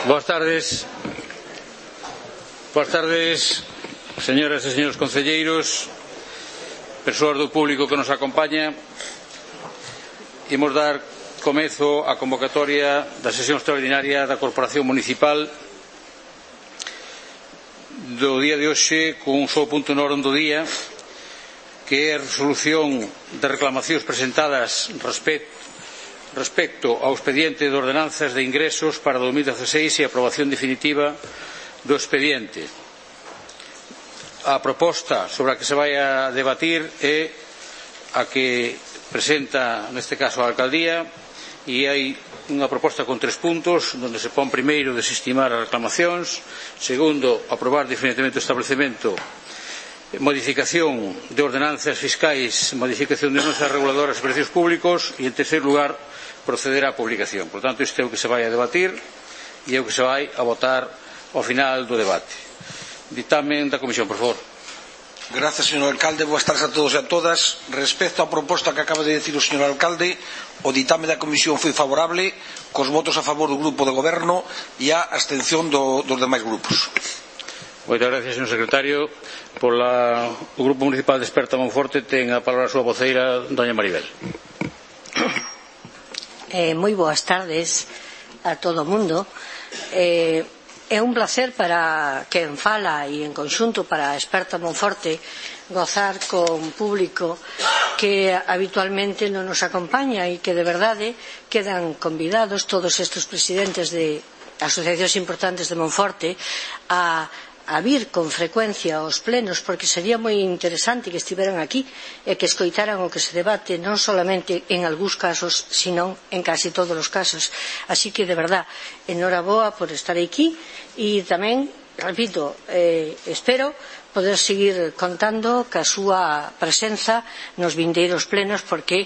Boas tardes, señoras e señores concelleiros, persoas do público que nos acompaña. Imos dar comezo á convocatoria da sesión extraordinaria da Corporación Municipal do día de hoxe, con un só punto no orden do día, que é a resolución de reclamacións presentadas respecto ao expediente de ordenanzas de ingresos para 2016 e a aprobación definitiva do expediente. A proposta sobre a que se vai a debatir é a que presenta, neste caso, a Alcaldía, e hai unha proposta con 3 puntos, onde se pon primeiro desestimar as reclamacións, segundo, aprobar definitivamente o establecemento, modificación de ordenanzas fiscais, modificación de ordenanzas reguladoras de precios públicos, e en terceiro lugar, proceder á publicación. Por tanto, isto é o que se vai a debatir e é o que se vai a votar ao final do debate. Ditamen da Comisión, por favor. Gracias, señor alcalde. Boas tardes a todos e a todas. Respecto á proposta que acaba de decir o señor alcalde, o ditame da Comisión foi favorable, cos votos a favor do Grupo de Goberno e a abstención dos demais grupos. Moitas gracias, señor secretario. O Grupo Municipal de Esperta Monforte ten a palabra a súa voceira, doña Maribel. Moi boas tardes a todo o mundo. É un placer para quen fala e en conxunto para a Esperta Monforte gozar con público que habitualmente non nos acompaña e que de verdade quedan convidados todos estes presidentes de asociacións importantes de Monforte a vir con frecuencia aos plenos, porque sería moi interesante que estiveran aquí e que escoitaran o que se debate non solamente en algúns casos, sino en casi todos os casos. Así que, de verdad, enhoraboa por estar aquí e tamén, repito, espero poder seguir contando ca súa presenza nos vindeiros plenos, porque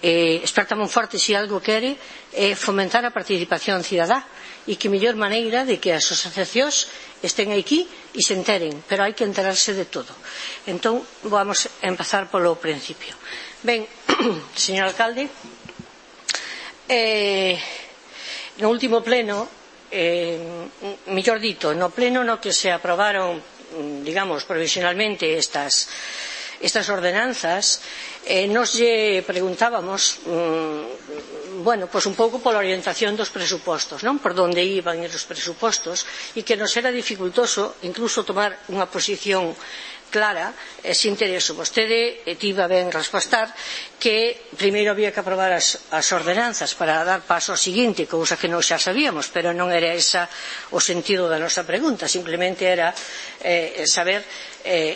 Esperta Monforte, se algo quere, é fomentar a participación cidadá, e que mellor maneira de que as asociacións estén aquí e se enteren, pero hai que enterarse de todo. Entón, vamos a empezar polo principio. Ben, señor alcalde, no último pleno, mellor dito, no pleno no que se aprobaron, digamos, provisionalmente estas ordenanzas, nos lle preguntábamos pois un pouco pola orientación dos presupostos, non? Por onde iban os presupostos, e que nos era dificultoso incluso tomar unha posición clara sin ter eso. Vostede tivo a ben respostar que primeiro había que aprobar as ordenanzas para dar paso ao seguinte, cousa que non xa sabíamos, pero non era esa o sentido da nosa pregunta, simplemente era saber,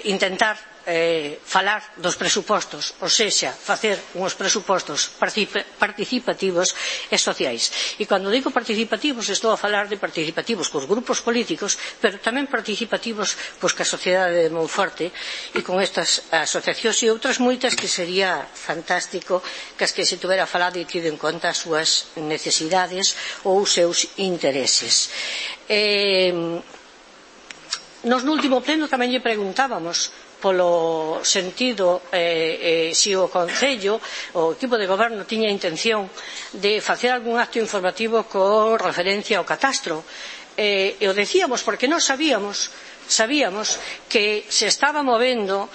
intentar falar dos presupostos, ou sexa, facer uns presupostos participativos e sociais. E cando digo participativos, estou a falar de participativos cos grupos políticos, pero tamén participativos ca sociedade de Monforte e con estas asociacións e outras moitas que sería fantástico que as que se tuvera falado e tido en conta as súas necesidades ou os seus intereses. Nos no último pleno tamén lle preguntábamos polo sentido se o Concello, o equipo de goberno tiña intención de facer algún acto informativo con referencia ao catastro, e o decíamos porque nós sabíamos que se estaba movendo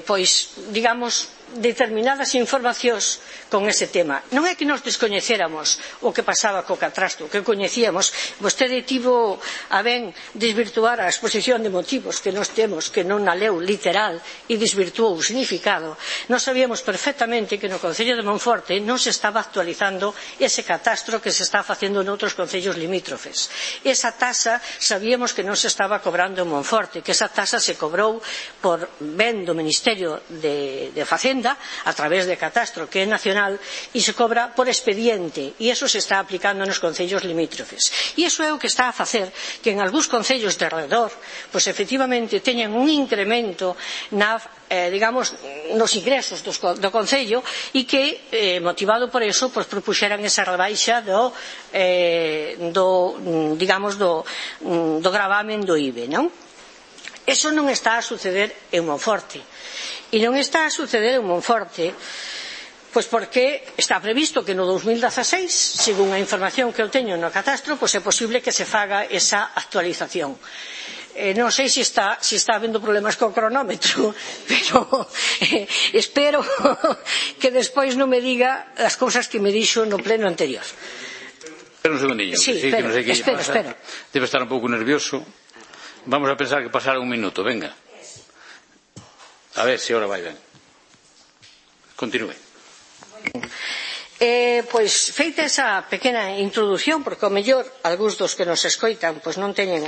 pois, digamos, determinadas informacións con ese tema. Non é que nos descoñecéramos o que pasaba co catastro, que coñecíamos. Vostede tivo a ben desvirtuar a exposición de motivos que nos temos, que non a leu literal e desvirtuou o significado. Nos sabíamos perfectamente que no Concello de Monforte non se estaba actualizando ese catastro que se está facendo noutros concellos limítrofes. Esa tasa sabíamos que non se estaba cobrando en Monforte, que esa tasa se cobrou por ben do Ministerio de Facenda a través de catastro, que é nacional, e se cobra por expediente, e iso se está aplicando nos concellos limítrofes. E iso é o que está a facer que en algúns concellos de alrededor, pois efectivamente teñan un incremento digamos, nos ingresos do concello, e que, motivado por eso, pois propuxeran esa rebaixa do gravamen do IBE, non? Eso non está a suceder en Monforte. E non está a suceder en Monforte Pois porque está previsto que no 2016, segundo a información que eu teño no catastro, pois é posible que se faga esa actualización. Non sei se está habendo problemas co cronómetro, pero espero que despois non me diga as cousas que me dixo no pleno anterior. Espera un segundinho. Sí, espero. Debe estar un pouco nervioso. Vamos a pensar que pasará un minuto, venga. A ver se ahora vai ben. Continúe. Pois feita esa pequena introdución, porque ao mellor algúns dos que nos escoitan pois non teñen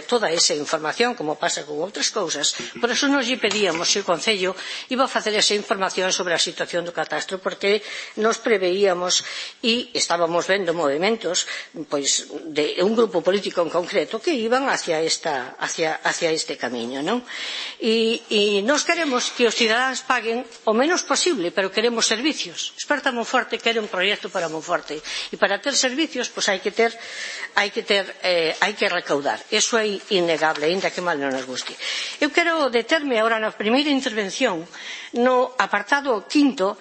toda esa información, como pasa con outras cousas, por eso nos lle pedíamos se o Concello iba a facer esa información sobre a situación do catastro, porque nos preveíamos e estábamos vendo movimentos pois de un grupo político en concreto que iban hacia este camiño, non? E nos queremos que os cidadáns paguen o menos posible, pero queremos servicios. Experta Monforte quere un proxecto para Monforte e para ter servicios pois hai que recaudar. Eso é innegable, aínda que mal non nos guste. Eu quero determe agora na primeira intervención no apartado 5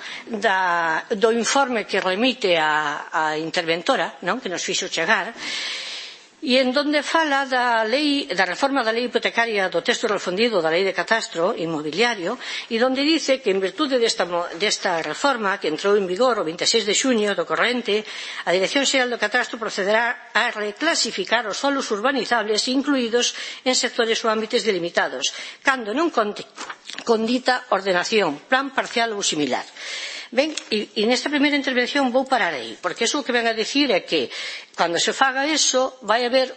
do informe que remite a interventora, non, que nos fixo chegar, e en donde fala da reforma da lei hipotecaria, do texto refundido da lei de catastro inmobiliario, e donde dice que en virtude desta reforma que entrou en vigor o 26 de xuño do corrente, a Dirección Xeral do Catastro procederá a reclasificar os solos urbanizables incluídos en sectores ou ámbitos delimitados, cando non conte con dita ordenación, plan parcial ou similar. Ben, e nesta primeira intervención vou parar aí, porque iso o que ven a dicir é que cando se faga iso vai haber,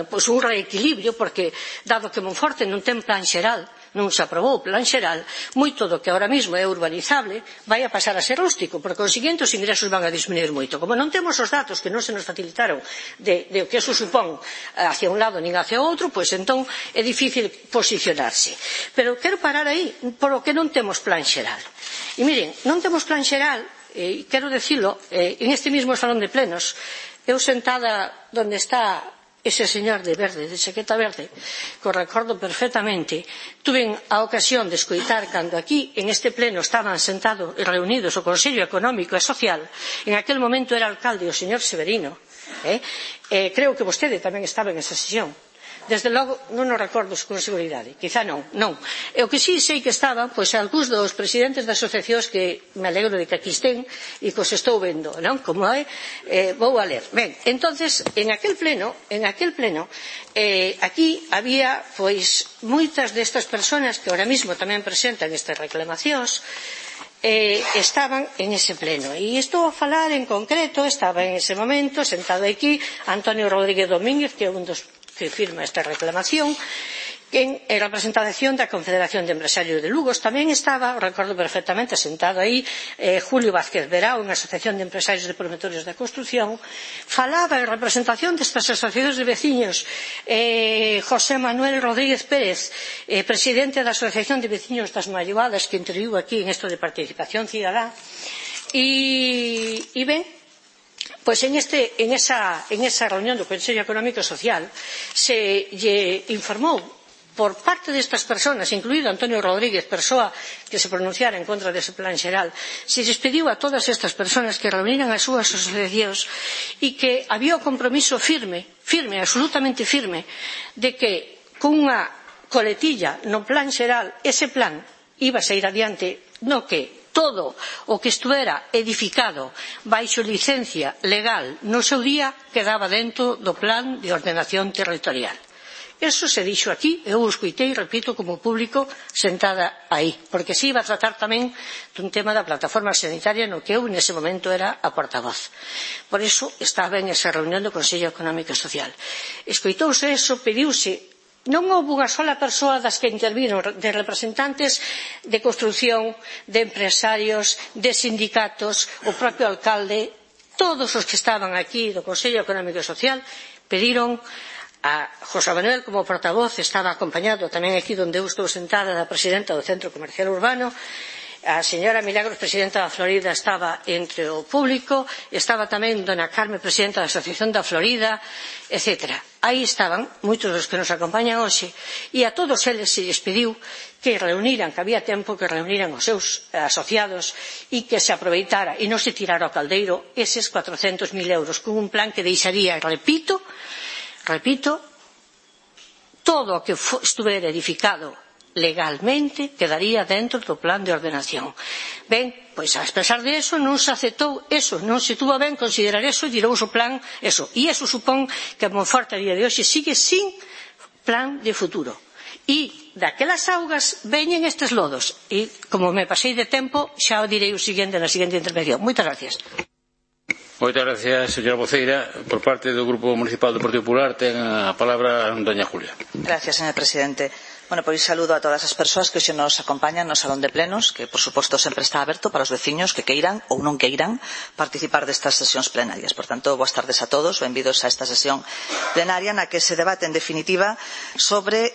pois un reequilibrio, porque dado que Monforte non ten plan xeral, non se aprobou o plan xeral, moito do que ahora mesmo é urbanizable vai a pasar a ser rústico, por consiguiente os ingresos van a disminuir moito. Como non temos os datos que non se nos facilitaron de o que eso supón hacia un lado nin hacia outro, pois entón é difícil posicionarse. Pero quero parar aí, por o que non temos plan xeral. E miren, non temos plan xeral, e quero dicilo, en este mismo salón de plenos, eu sentada onde está ese señor de verde, de chaqueta verde, que o recordo perfectamente, tuve a ocasión de escoitar cando aquí, en este pleno, estaban sentados e reunidos o Consello Económico e Social, en aquel momento era alcalde o señor Severino, creo que vostede tamén estaba en esa sesión. Desde logo, non o recordo con seguridade, quizá non. E o que sí sei que estaban, pois, algúns dos presidentes das asociacións que me alegro de que aquí estén e que os estou vendo, non? Como é, vou a ler. Ben, entonces, en aquel pleno, aquí había, pois, moitas destas persoas que ahora mismo tamén presentan estas reclamacións, estaban en ese pleno. E estou a falar en concreto, estaba en ese momento, sentado aquí, Antonio Rodríguez Domínguez, que é un dos que firma esta reclamación, en representación da Confederación de Empresarios de Lugo. Tamén estaba, recordo perfectamente, sentado aí, Julio Vázquez Verao, unha asociación de empresarios de promotores da construción. Falaba en representación destas asociacións de veciños José Manuel Rodríguez Pérez, presidente da Asociación de Veciños das Malloadas, que interviu aquí en isto de participación cidadá. E ben, pois en esa reunión do Consello Económico e Social se lle informou por parte destas persoas, incluído Antonio Rodríguez, persoa que se pronunciara en contra dese plan xeral, se lles pediu a todas estas persoas que reuniran as súas asociacións e que había o compromiso firme, absolutamente firme, de que cunha coletilla no plan xeral, ese plan iba a sair adiante, no que todo o que estuvera edificado baixo licencia legal no seu día quedaba dentro do plan de ordenación territorial. Eso se dixo aquí, eu o escoitei, repito, como público sentada aí, porque se iba a tratar tamén dun tema da plataforma sanitaria no que eu nese momento era a portavoz. Por iso estaba en esa reunión do Consello Económico e Social. Escoitouse eso, pediuse. Non houve unha sola persoa das que interviron, de representantes de construción, de empresarios, de sindicatos, o propio alcalde, todos os que estaban aquí do Consello Económico e Social pediron a José Manuel como portavoz, estaba acompañado tamén aquí onde eu estou sentada da presidenta do Centro Comercial Urbano, A señora Milagros, presidenta da Florida, estaba entre o público, estaba tamén dona Carme, presidenta da Asociación da Florida, etc. Aí estaban moitos dos que nos acompañan hoxe, e a todos eles se lles pediu que reuniran, que había tempo que reuniran os seus asociados e que se aproveitara e non se tirara ao caldeiro eses 400.000 euros con un plan que deixaría, repito, todo o que estuvera edificado legalmente quedaría dentro do plan de ordenación. Ben, pois a pesar de eso non se aceptou eso, non se tuvo ben considerar eso e tirouse o plan eso. E eso supón que Monforte a día de hoxe sigue sin plan de futuro. E daquelas augas veñen estes lodos. E como me pasei de tempo, xa o direi o seguinte na seguinte intervención. Moitas gracias. Moitas gracias, señora voceira. Por parte do Grupo Municipal do Partido Popular ten a palabra doña Julia. Gracias, señor presidente. Bueno, pois saludo a todas as persoas que hoxe nos acompañan no Salón de Plenos, que, por suposto, sempre está aberto para os veciños que queiran ou non queiran participar destas sesións plenarias. Por tanto, boas tardes a todos, benvidos a esta sesión plenaria na que se debate, en definitiva, sobre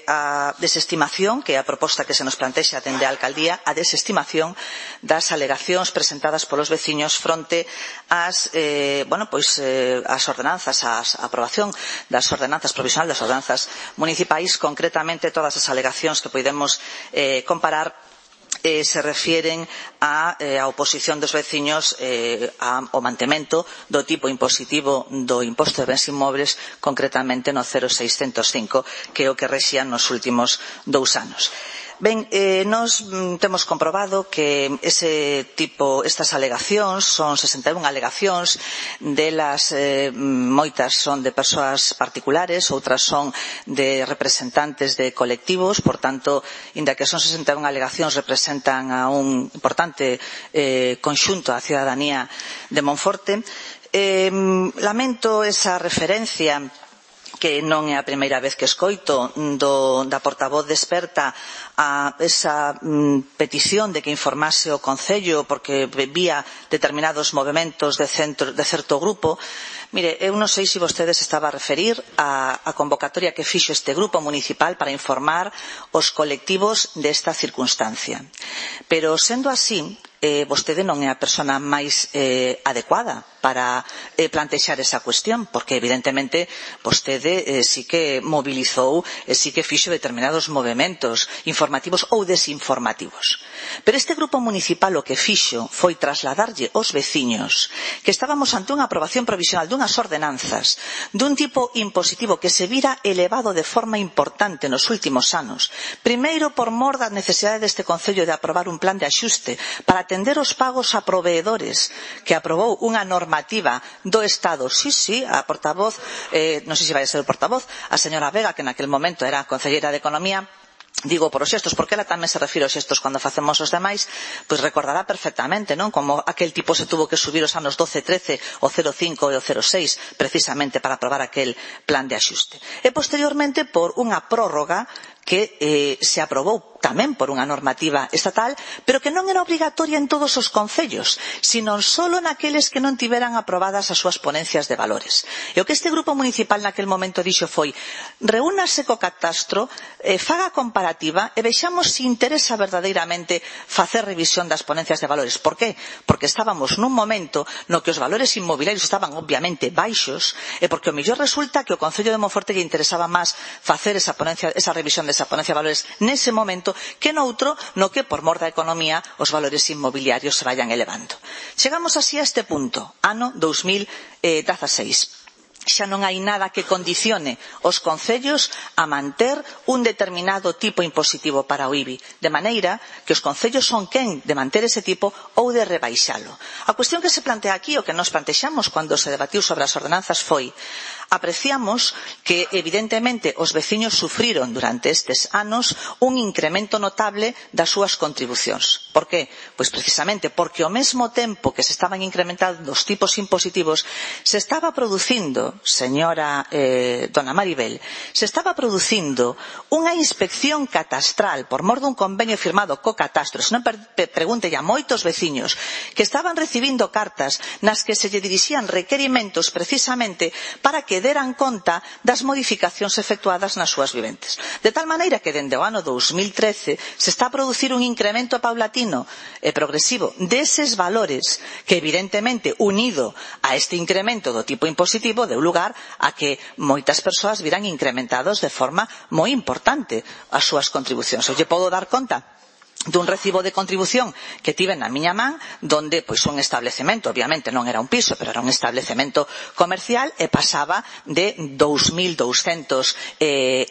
a desestimación, que é a proposta que se nos plantexa dende a Alcaldía, a desestimación das alegacións presentadas polos veciños fronte ás as ordenanzas, a aprobación das ordenanzas provisional das ordenanzas municipais, concretamente todas as alegacións que podemos comparar se refieren á oposición dos veciños ao mantemento do tipo impositivo do imposto de bens inmobles, concretamente no 0605, que é o que rexía nos últimos 2 anos. Ben, nós temos comprobado que estas alegacións son 61 alegacións, delas moitas son de persoas particulares, outras son de representantes de colectivos, por tanto, inda que son 61 alegacións, representan a un importante conxunto da cidadanía de Monforte. Lamento esa referencia que non é a primeira vez que escoito da portavoz de Experta a esa petición de que informase o Concello porque vía determinados movementos de certo grupo. Mire, eu non sei se vostedes estaba a referir a convocatoria que fixo este grupo municipal para informar os colectivos desta circunstancia. Pero, sendo así, vostede non é a persona máis adecuada para plantexar esa cuestión, porque evidentemente vostede sí que mobilizou e sí que fixo determinados movementos informativos ou desinformativos. Pero este grupo municipal o que fixo foi trasladarlle aos veciños que estábamos ante unha aprobación provisional dunhas ordenanzas dun tipo impositivo que se vira elevado de forma importante nos últimos anos. Primeiro, por mor da necesidade deste Concello de aprobar un plan de axuste para atender os pagos a proveedores que aprobou unha normativa do Estado. Sí, a portavoz, non sei se vai a ser o portavoz, a señora Vega, que naquel momento era concelleira de Economía, digo por os xestos, porque ela tamén se refire aos xestos cando facemos os demais, pois recordará perfectamente, non? Como aquel tipo se tuvo que subir os anos 12, 13, o 05 e o 06, precisamente para aprobar aquel plan de axuste. E posteriormente por unha prórroga que se aprobou tamén por unha normativa estatal, pero que non era obrigatoria en todos os concellos, sino solo naqueles que non tiveran aprobadas as súas ponencias de valores. E o que este grupo municipal naquel momento dixo foi: reúnase co catastro, faga comparativa e vexamos se interesa verdadeiramente facer revisión das ponencias de valores. Por qué? Porque estábamos nun momento no que os valores inmobiliarios estaban obviamente baixos e porque o mellor resulta que o Concello de Monforte lle interesaba máis facer esa revisión desa ponencia de valores nese momento que noutro no que por mor da economía os valores inmobiliarios se vayan elevando. Chegamos así a este punto, ano 2016. Xa non hai nada que condicione os concellos a manter un determinado tipo impositivo para o IBI, de maneira que os concellos son quen de manter ese tipo ou de rebaixalo. A cuestión que se plantea aquí, o que nos plantexamos cando se debatiu sobre as ordenanzas foi: apreciamos que evidentemente os veciños sufriron durante estes anos un incremento notable das súas contribucións. Por qué? Pois precisamente porque ao mesmo tempo que se estaban incrementando os tipos impositivos, se estaba producindo, señora dona Maribel, se estaba producindo unha inspección catastral por mor dun convenio firmado co catastro. Se non pregunte a moitos veciños que estaban recibindo cartas nas que se lle dirixían requerimentos precisamente para que que deran conta das modificacións efectuadas nas súas viventes. De tal maneira que dende o ano 2013 se está a producir un incremento paulatino e progresivo deses valores que evidentemente unido a este incremento do tipo impositivo deu lugar a que moitas persoas viran incrementados de forma moi importante as súas contribucións. Eu lle podo dar conta dun recibo de contribución que tive na miña man, donde pois un establecemento, obviamente non era un piso, pero era un establecemento comercial e pasaba de 2.200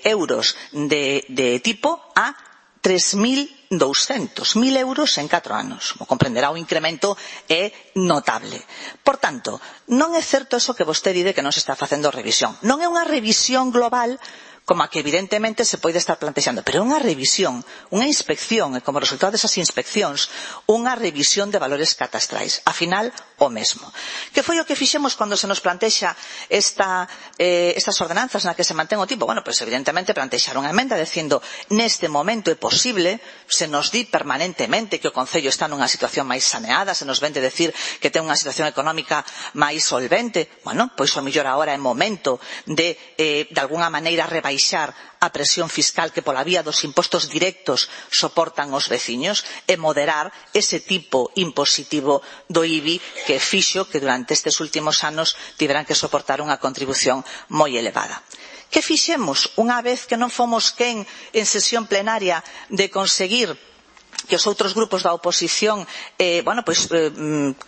euros de tipo a 3.200, 1.000 euros en 4 anos. Como comprenderá, o incremento é notable. Por tanto, non é certo eso que vostede di que non se está facendo revisión. Non é unha revisión global como a que evidentemente se pode estar plantexando, pero unha revisión, unha inspección, e como resultado desas inspeccións, unha revisión de valores catastrais. Afinal, o mesmo. Que foi o que fixemos cando se nos plantexa estas ordenanzas na que se mantén o tipo? Bueno, pois evidentemente plantexar unha emenda dicindo, neste momento é posible, se nos di permanentemente que o Concello está nunha situación máis saneada, se nos vende decir que ten unha situación económica máis solvente, bueno, pois o mellor agora é momento de alguna maneira rebaixar a presión fiscal que pola vía dos impostos directos soportan os veciños e moderar ese tipo impositivo do IBI que fixo que durante estes últimos anos tiveran que soportar unha contribución moi elevada. Que fixemos unha vez que non fomos quen en sesión plenaria de conseguir que os outros grupos da oposición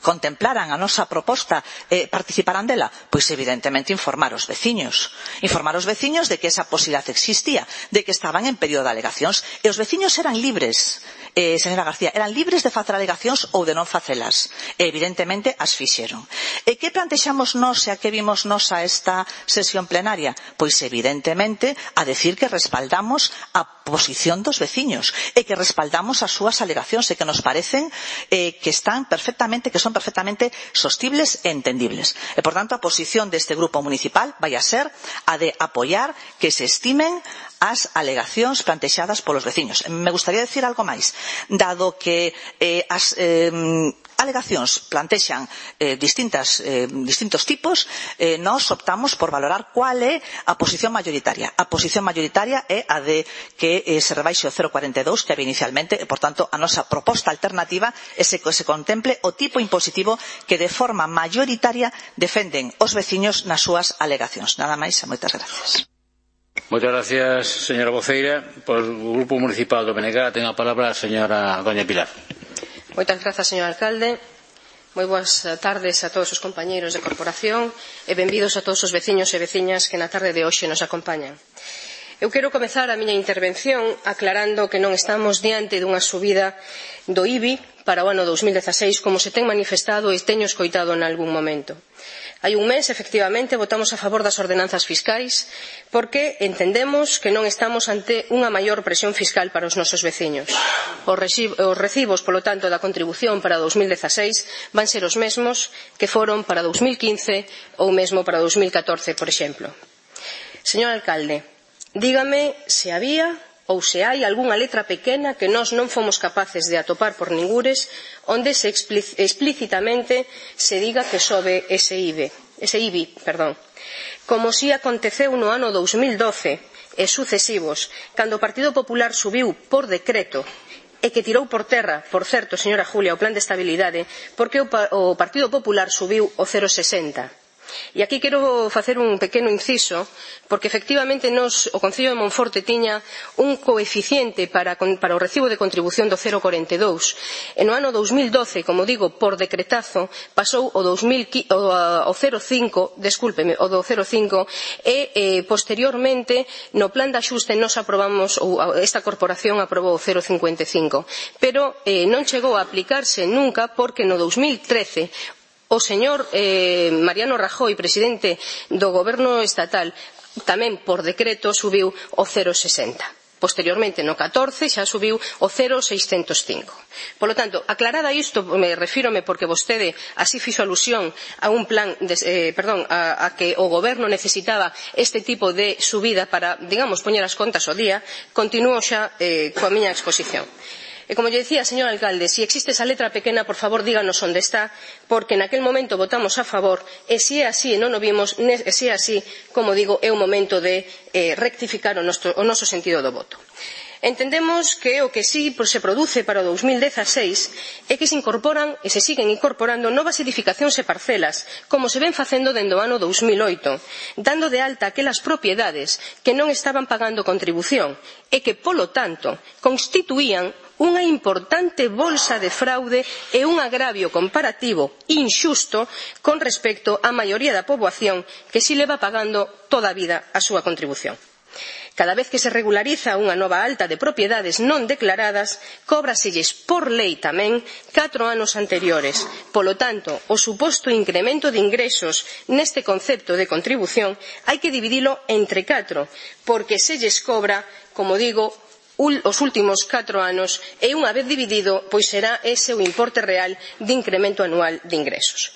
contemplaran a nosa proposta, participaran dela? Pois evidentemente informar os veciños de que esa posibilidade existía, de que estaban en período de alegacións, e os veciños eran libres, señora García, eran libres de facer alegacións ou de non facelas, e evidentemente as fixeron. E que plantexamos nós e a que vimos nós a esta sesión plenaria? Pois evidentemente a decir que respaldamos a posición dos veciños e que respaldamos as súas alegacións e que nos parecen que son perfectamente sostibles e entendibles. E, por tanto, a posición deste grupo municipal vai a ser a de apoiar que se estimen as alegacións plantexadas polos veciños. Me gustaría decir algo máis. Dado que as alegacións plantexan distintos tipos, nós optamos por valorar cual é a posición mayoritaria. A posición mayoritaria é a de que se rebaixe o 0,42 que había inicialmente, e, por tanto, a nosa proposta alternativa é que se contemple o tipo impositivo que de forma mayoritaria defenden os veciños nas súas alegacións. Nada máis e moitas gracias. Moitas gracias, señora Voceira. Por o Grupo Municipal do BNG ten a palabra a señora doña Pilar. Moitas grazas, señor alcalde. Moi boas tardes a todos os compañeiros de corporación e benvidos a todos os veciños e veciñas que na tarde de hoxe nos acompañan. Eu quero comezar a miña intervención aclarando que non estamos diante dunha subida do IBI para o ano 2016 como se ten manifestado e teño escoitado en algún momento. Hai un mes, efectivamente, votamos a favor das ordenanzas fiscais porque entendemos que non estamos ante unha maior presión fiscal para os nosos veciños. Os recibos, polo tanto, da contribución para 2016 van ser os mesmos que foron para 2015 ou mesmo para 2014, por exemplo. Señor alcalde, dígame se había ou se hai algunha letra pequena que nós non fomos capaces de atopar por ningures onde se explícitamente se diga que sobe ese IBI, como si aconteceu no ano 2012 e sucesivos, cando o Partido Popular subiu por decreto e que tirou por terra, por certo, señora Julia, o plan de estabilidade, porque o Partido Popular subiu o 0,60. E aquí quero facer un pequeno inciso, porque efectivamente o Concello de Monforte tiña un coeficiente para o recibo de contribución do 0,42 e no ano 2012, como digo, por decretazo, pasou o 0,5 e posteriormente no plan de axuste nos aprobamos, ou esta corporación aprobou o 0,55, pero non chegou a aplicarse nunca porque no 2013 o señor Mariano Rajoy, presidente do Goberno estatal, tamén por decreto subiu o 0,60. Posteriormente, no 14, xa subiu o 0,605. Polo tanto, aclarada isto, refírome porque vostede así fixo alusión a un plan, a que o Goberno necesitaba este tipo de subida para, digamos, poñer as contas ao día, continúo xa coa miña exposición. E como lle decía, señor alcalde, se existe esa letra pequena, por favor, díganos onde está, porque naquel momento votamos a favor, e se é así e non o vimos, e se é así, como digo, é o momento de rectificar o noso sentido do voto. Entendemos que o que si se produce para o 2016 é que se incorporan e se siguen incorporando novas edificacións e parcelas, como se ven facendo dende o ano 2008, dando de alta aquelas propiedades que non estaban pagando contribución e que, polo tanto, constituían unha importante bolsa de fraude e un agravio comparativo inxusto con respecto á maioría da poboación que si leva pagando toda a vida a súa contribución. Cada vez que se regulariza unha nova alta de propiedades non declaradas, cóbraselles por lei tamén 4 anos anteriores. Polo tanto, o suposto incremento de ingresos neste concepto de contribución hai que dividilo entre 4, porque se lles cobra, como digo, os últimos 4 anos e unha vez dividido, pois será ese o importe real de incremento anual de ingresos.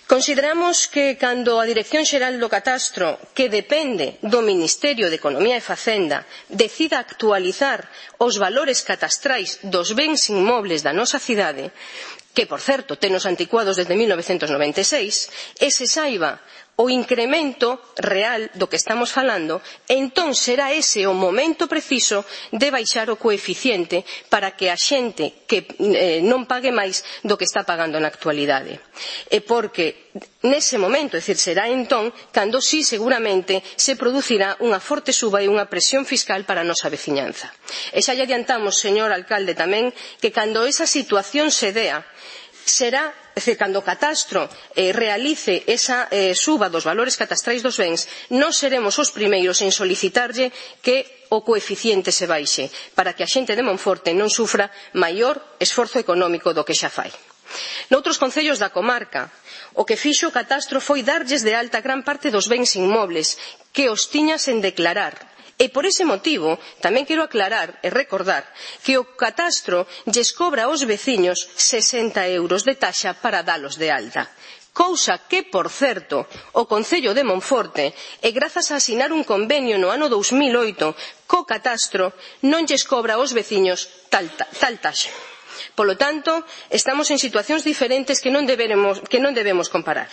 Consideramos que cando a Dirección Xeral do Catastro, que depende do Ministerio de Economía e Facenda, decida actualizar os valores catastrais dos bens inmobles da nosa cidade, que, por certo, tenos anticuados desde 1996, e se saiba o incremento real do que estamos falando, entón será ese o momento preciso de baixar o coeficiente para que a xente que non pague máis do que está pagando na actualidade. E porque nese momento, é dicir, será entón cando sí seguramente se producirá unha forte suba e unha presión fiscal para a nosa veciñanza. E xa lle adiantamos, señor alcalde, tamén que cando esa situación se dea, será, é dicir, cando o catastro realice esa suba dos valores catastrais dos bens, non seremos os primeiros en solicitarlle que o coeficiente se baixe, para que a xente de Monforte non sufra maior esforzo económico do que xa fai. Noutros concellos da comarca, o que fixo o catastro foi darlles de alta gran parte dos bens inmobles que os tiña sen declarar. E por ese motivo, tamén quero aclarar e recordar que o catastro lles cobra aos veciños 60 euros de taxa para dalos de alta. Cousa que, por certo, o Concello de Monforte, e grazas a asinar un convenio no ano 2008 co catastro, non lles cobra aos veciños tal taxa. Polo tanto, estamos en situacións diferentes que non debemos comparar.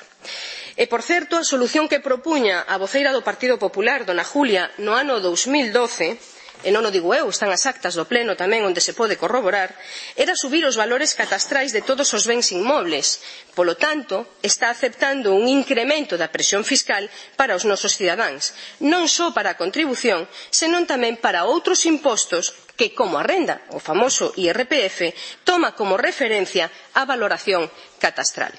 E, por certo, a solución que propuña a voceira do Partido Popular, dona Julia, no ano 2012, e non o digo eu, están as actas do pleno tamén onde se pode corroborar, era subir os valores catastrais de todos os bens inmobles. Polo tanto, está aceptando un incremento da presión fiscal para os nosos cidadáns, non só para a contribución, senón tamén para outros impostos que, como a renda, o famoso IRPF, toma como referencia a valoración catastral.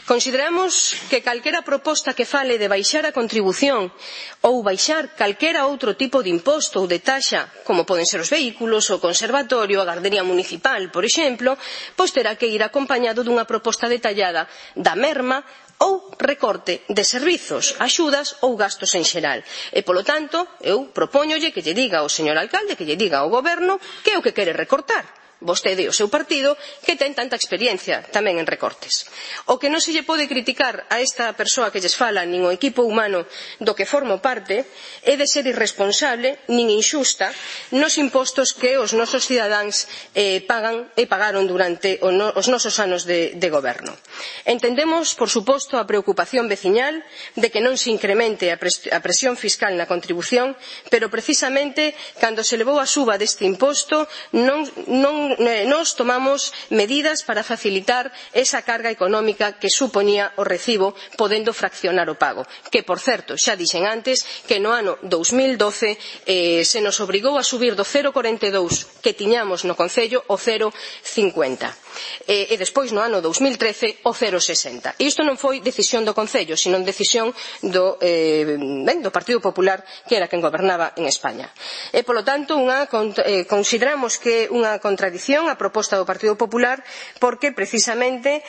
Consideramos que calquera proposta que fale de baixar a contribución ou baixar calquera outro tipo de imposto ou de taxa, como poden ser os vehículos, o conservatorio, a gardería municipal, por exemplo, pois terá que ir acompañado dunha proposta detallada da merma ou recorte de servizos, axudas ou gastos en xeral. E, polo tanto, eu propóñolle que lle diga ao señor alcalde, que lle diga ao goberno que é o que quere recortar. Vostede e o seu partido, que ten tanta experiencia tamén en recortes. O que non se lle pode criticar a esta persoa que lles fala, nin o equipo humano do que formo parte, é de ser irresponsable, nin inxusta, nos impostos que os nosos cidadáns pagan e pagaron durante os nosos anos de goberno. Entendemos, por suposto, a preocupación veciñal de que non se incremente a presión fiscal na contribución, pero precisamente cando se levou a suba deste imposto nos tomamos medidas para facilitar esa carga económica que supoñía o recibo, podendo fraccionar o pago, que, por certo, xa dixen antes que no ano 2012 se nos obrigou a subir do 0,42 que tiñamos no Concello o 0,50 e despois no ano 2013 o 0,60. E isto non foi decisión do Concello, sino decisión do Partido Popular, que era quen gobernaba en España. E, polo tanto, consideramos que é unha contradición a proposta do Partido Popular, porque precisamente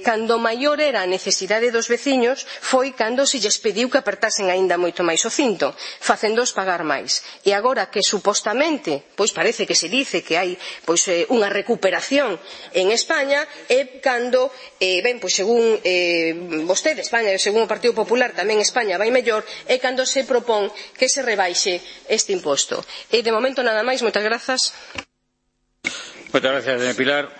cando maior era a necesidade dos veciños foi cando se lles pediu que apertasen aínda moito máis o cinto, facéndoos pagar máis. E agora que supostamente, pois parece que se dice que hai unha recuperación en España, é cando, según vostede, España, e según o Partido Popular, tamén España vai mellor, é cando se propón que se rebaixe este imposto. E de momento nada máis, moitas grazas. Moitas gracias, doña Pilar.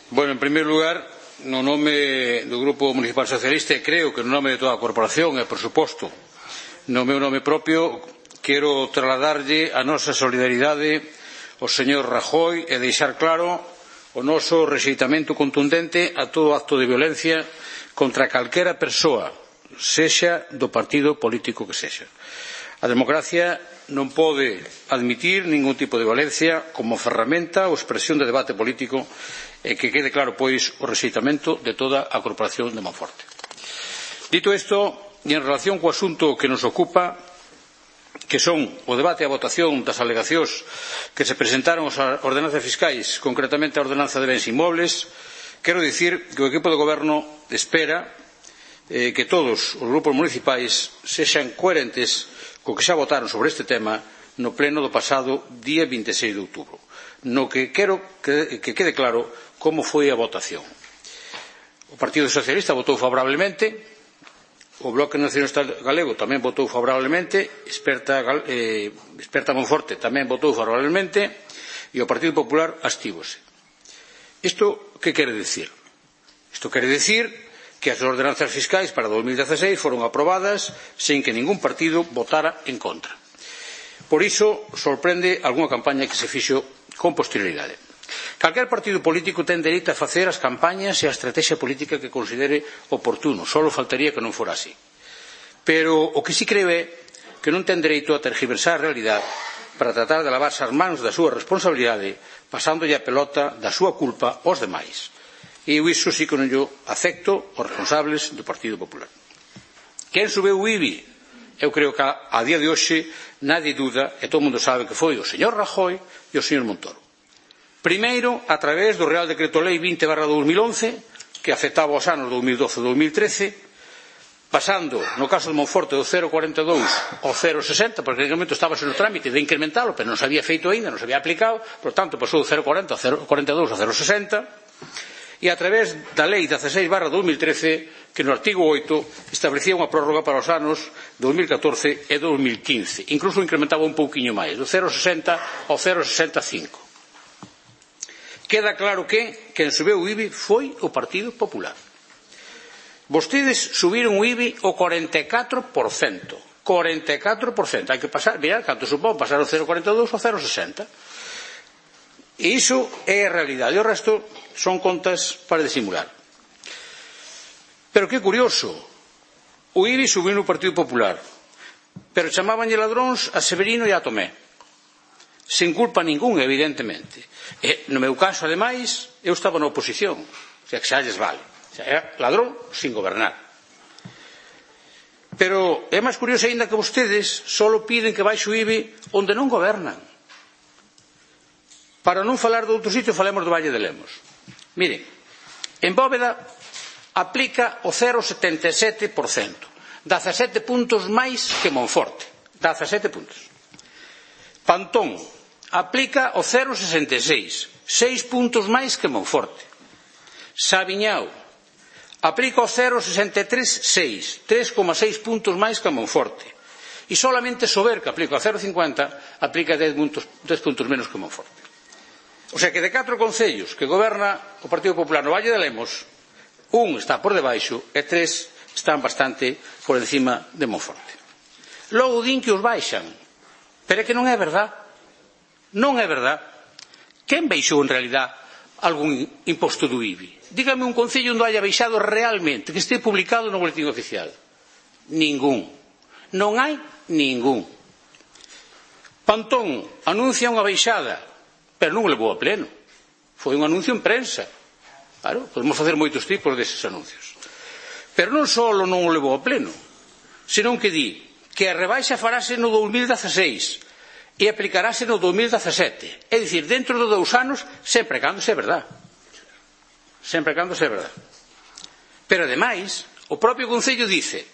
Bueno, en primeiro lugar, no nome do Grupo Municipal Socialista, e creo que no nome de toda a corporación e, por suposto, no meu nome propio, quero trasladarlle a nosa solidaridade ao señor Rajoy e deixar claro o noso rexeitamento contundente a todo acto de violencia contra calquera persoa, sexa do partido político que sexa. A democracia non pode admitir ningún tipo de violencia como ferramenta ou expresión de debate político e que quede claro, pois, o rexeitamento de toda a corporación de Monforte. Dito isto, e en relación co asunto que nos ocupa, que son o debate e a votación das alegacións que se presentaron as ordenanzas fiscais, concretamente a ordenanza de bens inmobles, quero dicir que o equipo de goberno espera que todos os grupos municipais sexan coherentes co que xa votaron sobre este tema no pleno do pasado día 26 de outubro, no que quero que quede claro como foi a votación. O Partido Socialista votou favorablemente, o Bloque Nacionalista Galego tamén votou favorablemente, Experta Monforte tamén votou favorablemente e o Partido Popular abstívose. Isto que quere dicir? Isto quere dicir que as ordenanzas fiscais para 2016 foron aprobadas sen que ningún partido votara en contra. Por iso sorprende algunha campaña que se fixo con posterioridade. Calquer partido político ten dereito a facer as campañas e a estrategia política que considere oportuno, só faltaría que non fora así. Pero o que sí creo é que non ten dereito a tergiversar a realidade para tratar de lavarse as mans da súa responsabilidade, pasándolle a pelota da súa culpa aos demais. E eu iso sí que non yo acepto os responsables do Partido Popular. Quen subeu o IBI? Eu creo que a día de hoxe nadie duda, e todo o mundo sabe que foi o señor Rajoy e o señor Montoro. Primeiro, a través do Real Decreto Lei 20/2011, que afectaba os anos 2012 e 2013, pasando, no caso de Monforte, do 0,42 ao 0,60, porque en aquele momento estaba no trámite de incrementalo, pero non se había feito ainda, non se había aplicado, por tanto, pasou do 0,40 ao 0,42 ao 0,60, e a través da Lei 16/2013, que no artigo 8 establecía unha prórroga para os anos 2014 e 2015. Incluso incrementaba un pouquiño máis, do 0,60 ao 0,65. Queda claro que quen subeu o IBI foi o Partido Popular. Vostedes subiron o IBI o 44%. 44%. Hai que pasar, mirad, canto supón pasar o 0,42 ao 0,60. E iso é a realidade. E o resto son contas para disimular. Pero que curioso, o IBI subiu no Partido Popular, pero chamábanlle ladróns a Severino e a Tomé, sen culpa ningún, evidentemente. E no meu caso, ademais, eu estaba na oposición, o sea, que xa lles vale. O sea, era ladrón sin gobernar. Pero é máis curioso ainda que vostedes só piden que baixe o IBI onde non gobernan. Para non falar de outro sitio, falemos do Valle de Lemos. Miren, en Bóveda aplica o 0,77%, 17 puntos máis que Monforte, 17 puntos. Pantón aplica o 0,66, 6 puntos máis que Monforte. Sabiñao aplica o 0,63,6, 3,6 puntos máis que Monforte. E solamente Sober, que aplica o 0,50, aplica 10 puntos menos que Monforte. O sea que de 4 concellos que goberna o Partido Popular no Valle de Lemos, un está por debaixo e 3 están bastante por encima de Monforte. Logo din que os baixan, pero é que non é verdad. Non é verdad. Quen baixou en realidad algún imposto do IBI? Dígame un concello onde haya baixado realmente, que este publicado no boletín oficial. Ningún. Non hai ningún. Pantón anuncia unha baixada, pero non o levou a pleno. Foi un anuncio en prensa. Claro, podemos facer moitos tipos deses anuncios. Pero non só non o levou a pleno, senón que di que a rebaixa farase no 2016 e aplicarase no 2017. É dicir, dentro de 2 anos, sempre cando se é verdad. Sempre cando se é verdad. Pero, ademais, o propio Concello dice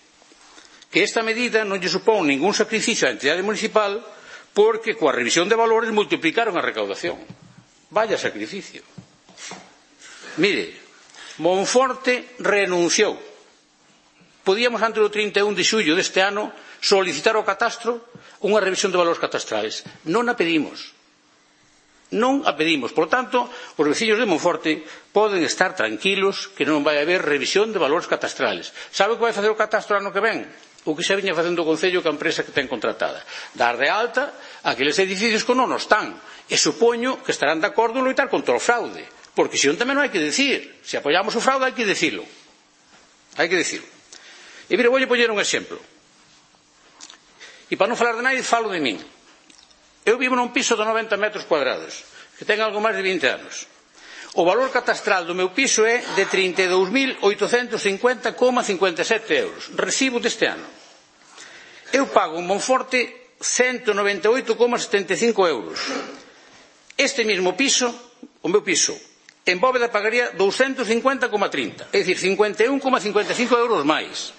que esta medida non lle supón ningún sacrificio á entidade municipal porque coa revisión de valores multiplicaron a recaudación. Vaya sacrificio. Mire, Monforte renunciou podíamos antes do 31 de xullo deste ano solicitar ao catastro unha revisión de valores catastrales. Non a pedimos. Non a pedimos. Por tanto, os veciños de Monforte poden estar tranquilos que non vai haber revisión de valores catastrales. Sabe o que vai facer o catastro ano que ven? O que xa viña facendo o Concello que a empresa que ten contratada. Dar de alta aqueles edificios que non están. E supoño que estarán de acordo en loitar contra o fraude. Porque se non tamén non hai que decir. Se apoiamos o fraude hai que decirlo. Hai que decirlo. E mire, vou poñer un exemplo. E para non falar de nadie, falo de min. Eu vivo nun piso de 90 metros cuadrados, que ten algo máis de 20 anos. O valor catastral do meu piso é de 32.850,57 euros. Recibo deste ano. Eu pago en Monforte 198,75 euros. Este mesmo piso, o meu piso, en Bóveda pagaría 250,30, é dicir, 51,55 euros máis.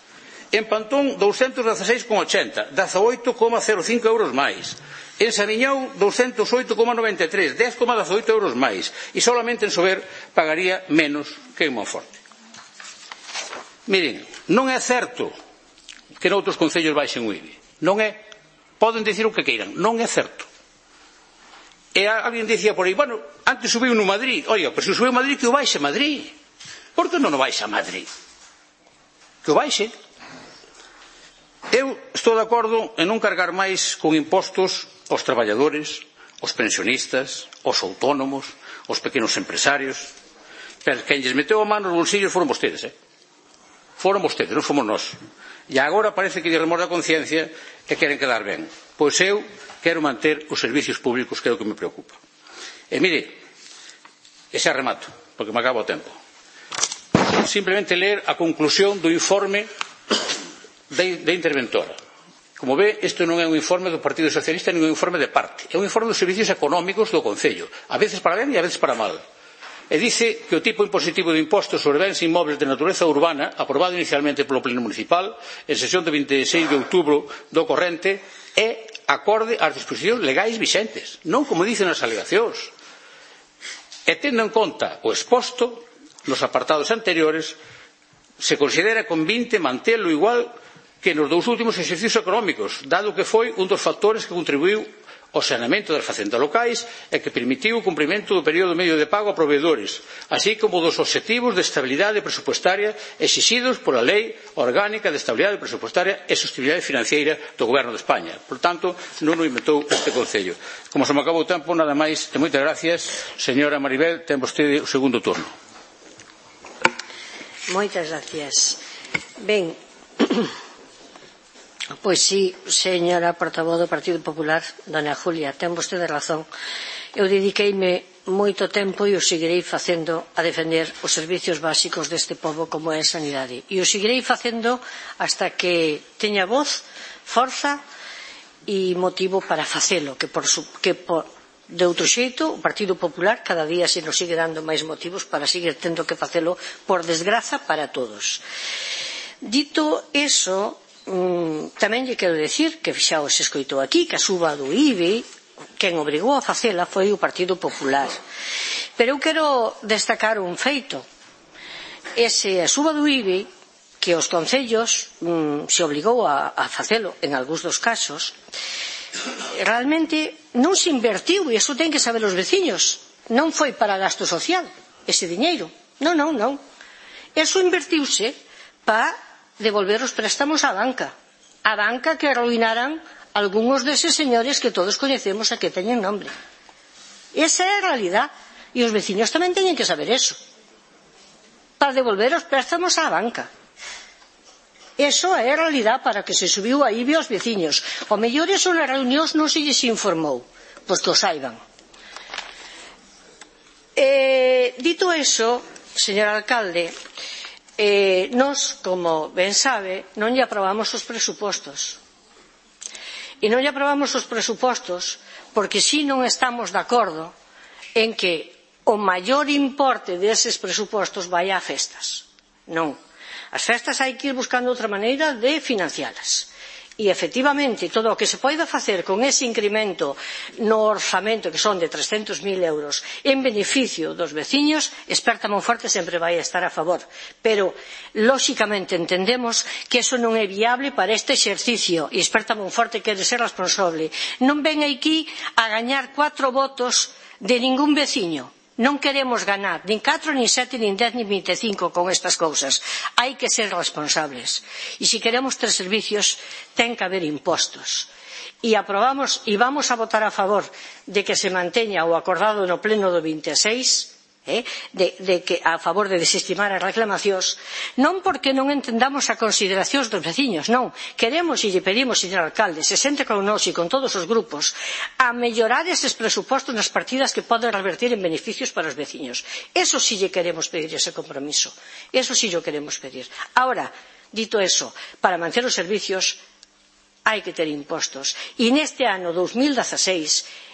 En Pantón, 216,80, 18,05 euros máis. En Samiñou, 208,93, 10,18 euros máis. E solamente en Sober pagaría menos que en Monforte. Miren, non é certo que noutros concellos baixen o IBI. Non é. Poden dicir o que queiran. Non é certo. E alguén dicía por aí, bueno, antes subiu no Madrid. Oiga, pero se subiu Madrid, que o baixe Madrid. Por que non o baixa Madrid? Que o baixe. Eu estou de acordo en non cargar máis con impostos aos traballadores, aos pensionistas, aos autónomos, aos pequenos empresarios. Pero quen lles meteu a mano nos bolsillos foron vostedes, Foron vostedes, non fomos nós. E agora parece que lle remorda a conciencia e queren quedar ben. Pois eu quero manter os servicios públicos, que é o que me preocupa. E mire, e xa remato, porque me acaba o tempo. Simplemente ler a conclusión do informe de interventora. Como ve, isto non é un informe do Partido Socialista nin un informe de parte. É un informe dos servicios económicos do Concello, a veces para ben e a veces para mal. E dice que o tipo impositivo de impostos sobre bens inmobles de natureza urbana, aprobado inicialmente polo Pleno Municipal en sesión de 26 de outubro do corrente, é acorde ás disposicións legais vixentes, non como dicen as alegacións. E tendo en conta o exposto nos apartados anteriores, se considera convinte mantelo igual que nos dous últimos exercicios económicos, dado que foi un dos factores que contribuiu ao saneamento das facendas locais e que permitiu o cumprimento do período medio de pago a proveedores, así como dos obxectivos de estabilidade presupuestaria exixidos pola Lei Orgánica de Estabilidade Presupuestaria e Sostenibilidade Financiera do Goberno de España. Por tanto, non o inventou este Concello. Como se me acabou o tempo, nada máis e moitas gracias. Señora Maribel, ten vostede o segundo turno. Moitas gracias. Ben, pois sí, señora portavoz do Partido Popular, dona Julia, ten vostede razón. Eu dediqueime moito tempo e o seguirei facendo a defender os servicios básicos deste pobo como é a sanidade. E o seguirei facendo hasta que teña voz, forza e motivo para facelo, de outro xeito, o Partido Popular cada día se nos sigue dando máis motivos para seguir tendo que facelo, por desgraza, para todos. Dito eso, tamén lle quero decir que xa os escoitou aquí que a suba do IBI, quen obrigou a facela foi o Partido Popular. Pero eu quero destacar un feito. Ese a suba do IBI, que os concellos se obligou a facelo en algúns dos casos, realmente non se invertiu, e iso ten que saber os veciños. Non foi para gasto social ese diñeiro. Non. Eso invertiuse para devolver os préstamos á banca. A banca que arruinaran algúns deses señores que todos coñecemos e que teñen nombre. Esa é a realidade. E os veciños tamén teñen que saber eso. Para devolver os préstamos á banca. Eso é a realidade para que se subiu a IBI aos veciños. O mellor eso nas reunións non se lles informou. Pois que o saiban. Dito eso, señor alcalde, nós, como ben sabe, non lle aprobamos os presupostos. E non lle aprobamos os presupostos porque si non estamos de acordo en que o maior importe deses presupostos vai a festas. Non. As festas hai que ir buscando outra maneira de financialas. E, efectivamente, todo o que se poida facer con ese incremento no orzamento, que son de 300.000 euros, en beneficio dos veciños, Experta Monforte sempre vai estar a favor. Pero, lóxicamente, entendemos que eso non é viable para este exercicio, e Experta Monforte quere ser responsable. Non ven aquí a gañar 4 votos de ningún veciño. Non queremos ganar nin 4, nin 7, nin 10, nin 25 con estas cousas. Hai que ser responsables. E se queremos ter servicios, ten que haber impostos. E aprobamos e vamos a votar a favor de que se manteña o acordado no pleno do 26, de que a favor de desestimar as reclamacións, non porque non entendamos a consideracións dos veciños, non. Queremos e lle pedimos, señor alcalde, se sente con nós e con todos os grupos, a mellorar eses presupostos nas partidas que poden revertir en beneficios para os veciños. Eso sí lle queremos pedir ese compromiso. Eso sí lle queremos pedir. Ahora, dito eso, para manter os servicios hai que ter impostos. E neste ano 2016,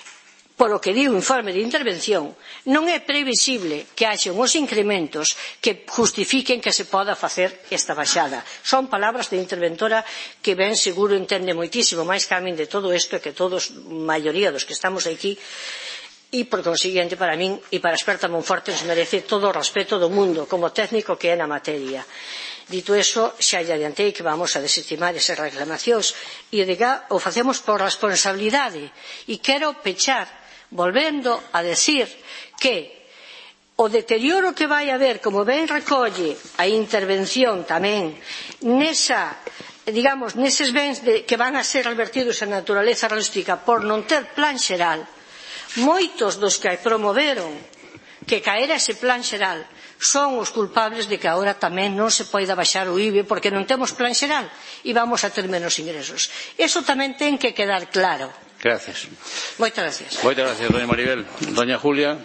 polo que di o informe de intervención, non é previsible que haxa uns incrementos que justifiquen que se poda facer esta baixada. Son palabras de interventora que ben seguro entende moitísimo máis que a min de todo isto e que todos, maioría dos que estamos aquí, e por consiguiente para min e para a Experta Monforte nos merece todo o respeto do mundo como técnico que é na materia. Dito eso, xa lle adiantei que vamos a desestimar esas reclamacións e o facemos por responsabilidade. E quero pechar volvendo a decir que o deterioro que vai haber, como ben recolle a intervención tamén, neses bens que van a ser revertidos en naturaleza rústica por non ter plan xeral, moitos dos que promoveron que caera ese plan xeral son os culpables de que agora tamén non se poida baixar o IBI porque non temos plan xeral e vamos a ter menos ingresos. Eso tamén ten que quedar claro. Gracias. Moitas gracias. Moitas gracias, doña Maribel. Doña Julia,